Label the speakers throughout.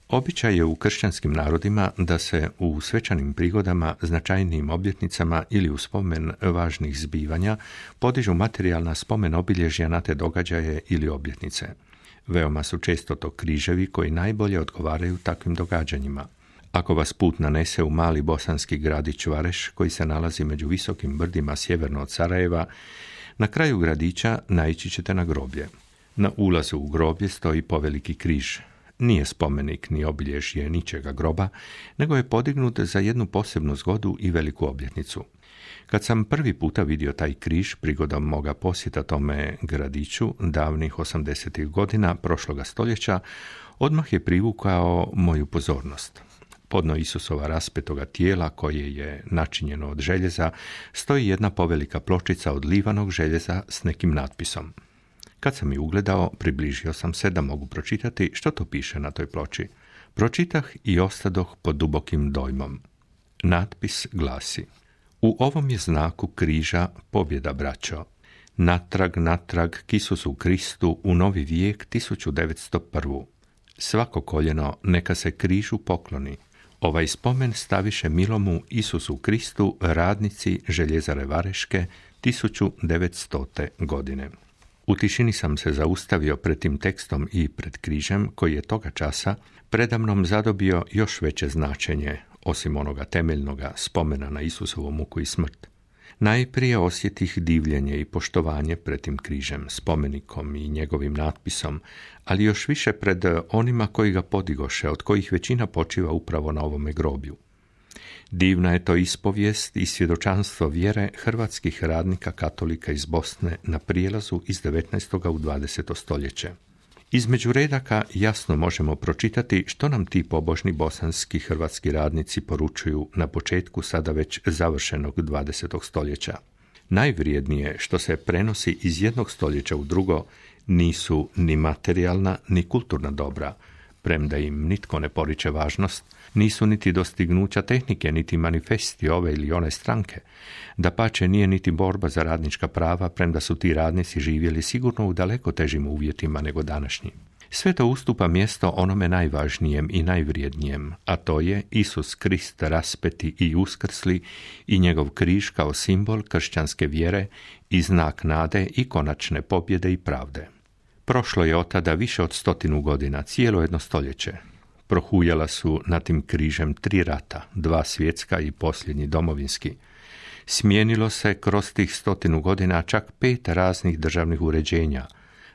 Speaker 1: Običaj je u kršćanskim narodima da se u svečanim prigodama, značajnijim obljetnicama ili u spomen važnih zbivanja podižu materijalna spomen obilježja na te događaje ili obljetnice. Veoma su često to križevi koji najbolje odgovaraju takvim događanjima. Ako vas put nanese u mali bosanski gradić Vareš, koji se nalazi među visokim brdima sjeverno od Sarajeva, na kraju gradića naići ćete na groblje. Na ulazu u groblje stoji poveliki križ. Nije spomenik ni obilježje ničega groba, nego je podignut za jednu posebnu zgodu i veliku obljetnicu. Kad sam prvi puta vidio taj križ prigodom moga posjeta tome gradiću davnih 80. godina prošloga stoljeća, odmah je privukao moju pozornost. Podno Isusova raspetoga tijela, koje je načinjeno od željeza, stoji jedna povelika pločica od livanog željeza s nekim natpisom. Kad sam ju ugledao, približio sam se da mogu pročitati što to piše na toj ploči. Pročitah i ostadoh pod dubokim dojmom. Natpis glasi: U ovom je znaku križa pobjeda, braćo. Natrag k Isusu Kristu u novi vijek 1901. Svako koljeno neka se križu pokloni. Ovaj spomen staviše milomu Isusu Kristu radnici Željezare Vareške 1900. godine. U tišini sam se zaustavio pred tim tekstom i pred križem, koji je toga časa predamnom zadobio još veće značenje, osim onoga temeljnoga spomena na Isusovu muku i smrt. Najprije osjetih divljenje i poštovanje pred tim križem, spomenikom i njegovim natpisom, ali još više pred onima koji ga podigoše, od kojih većina počiva upravo na ovome groblju. Divna je to ispovijest i svjedočanstvo vjere hrvatskih radnika katolika iz Bosne na prijelazu iz 19. u 20. stoljeće. Između redaka jasno možemo pročitati što nam ti pobožni bosanski hrvatski radnici poručuju na početku sada već završenog 20. stoljeća. Najvrijednije što se prenosi iz jednog stoljeća u drugo nisu ni materijalna ni kulturna dobra, premda im nitko ne poriče važnost, nisu niti dostignuća tehnike, niti manifesti ove ili one stranke. Dapače, nije niti borba za radnička prava, premda su ti radnici živjeli sigurno u daleko težim uvjetima nego današnji. Sve to ustupa mjesto onome najvažnijem i najvrijednijem, a to je Isus Krist raspeti i uskrsli i njegov križ kao simbol kršćanske vjere i znak nade i konačne pobjede i pravde. Prošlo je od tada više od 100 godina, cijelo jedno stoljeće. Prohujala su nad tim križem 3 rata, 2 svjetska i posljednji domovinski. Smijenilo se kroz tih 100 godina čak 5 raznih državnih uređenja,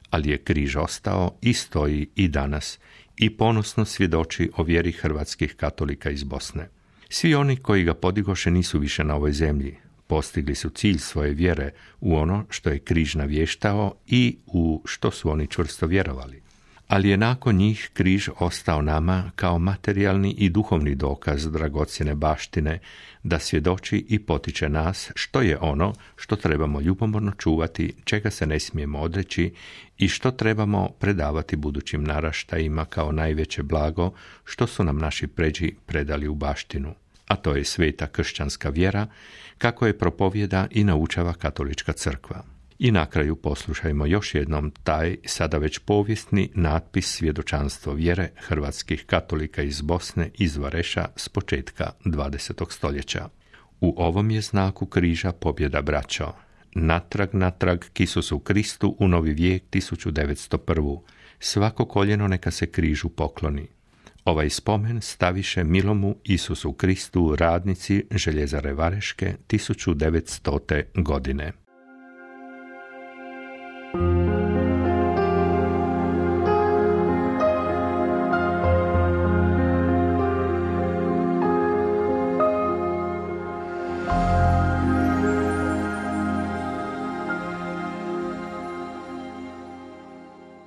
Speaker 1: ali je križ ostao i stoji i danas i ponosno svjedoči o vjeri hrvatskih katolika iz Bosne. Svi oni koji ga podigoše nisu više na ovoj zemlji. Postigli su cilj svoje vjere u ono što je križ navještao i u što su oni čvrsto vjerovali. Ali je nakon njih križ ostao nama kao materijalni i duhovni dokaz dragocjene baštine da svjedoči i potiče nas što je ono što trebamo ljubomorno čuvati, čega se ne smijemo odreći i što trebamo predavati budućim naraštajima kao najveće blago što su nam naši pređi predali u baštinu. A to je sveta kršćanska vjera, kako je propovjeda i naučava katolička crkva. I na kraju poslušajmo još jednom taj, sada već povijesni natpis svjedočanstvo vjere hrvatskih katolika iz Bosne iz Vareša s početka 20. stoljeća. U ovom je znaku križa pobjeda, braćo. Natrag k Isusu Kristu u novi vijek 1901. Svako koljeno neka se križu pokloni. Ovaj spomen staviše milomu Isusu Kristu radnici Željezare Vareške 1900. godine.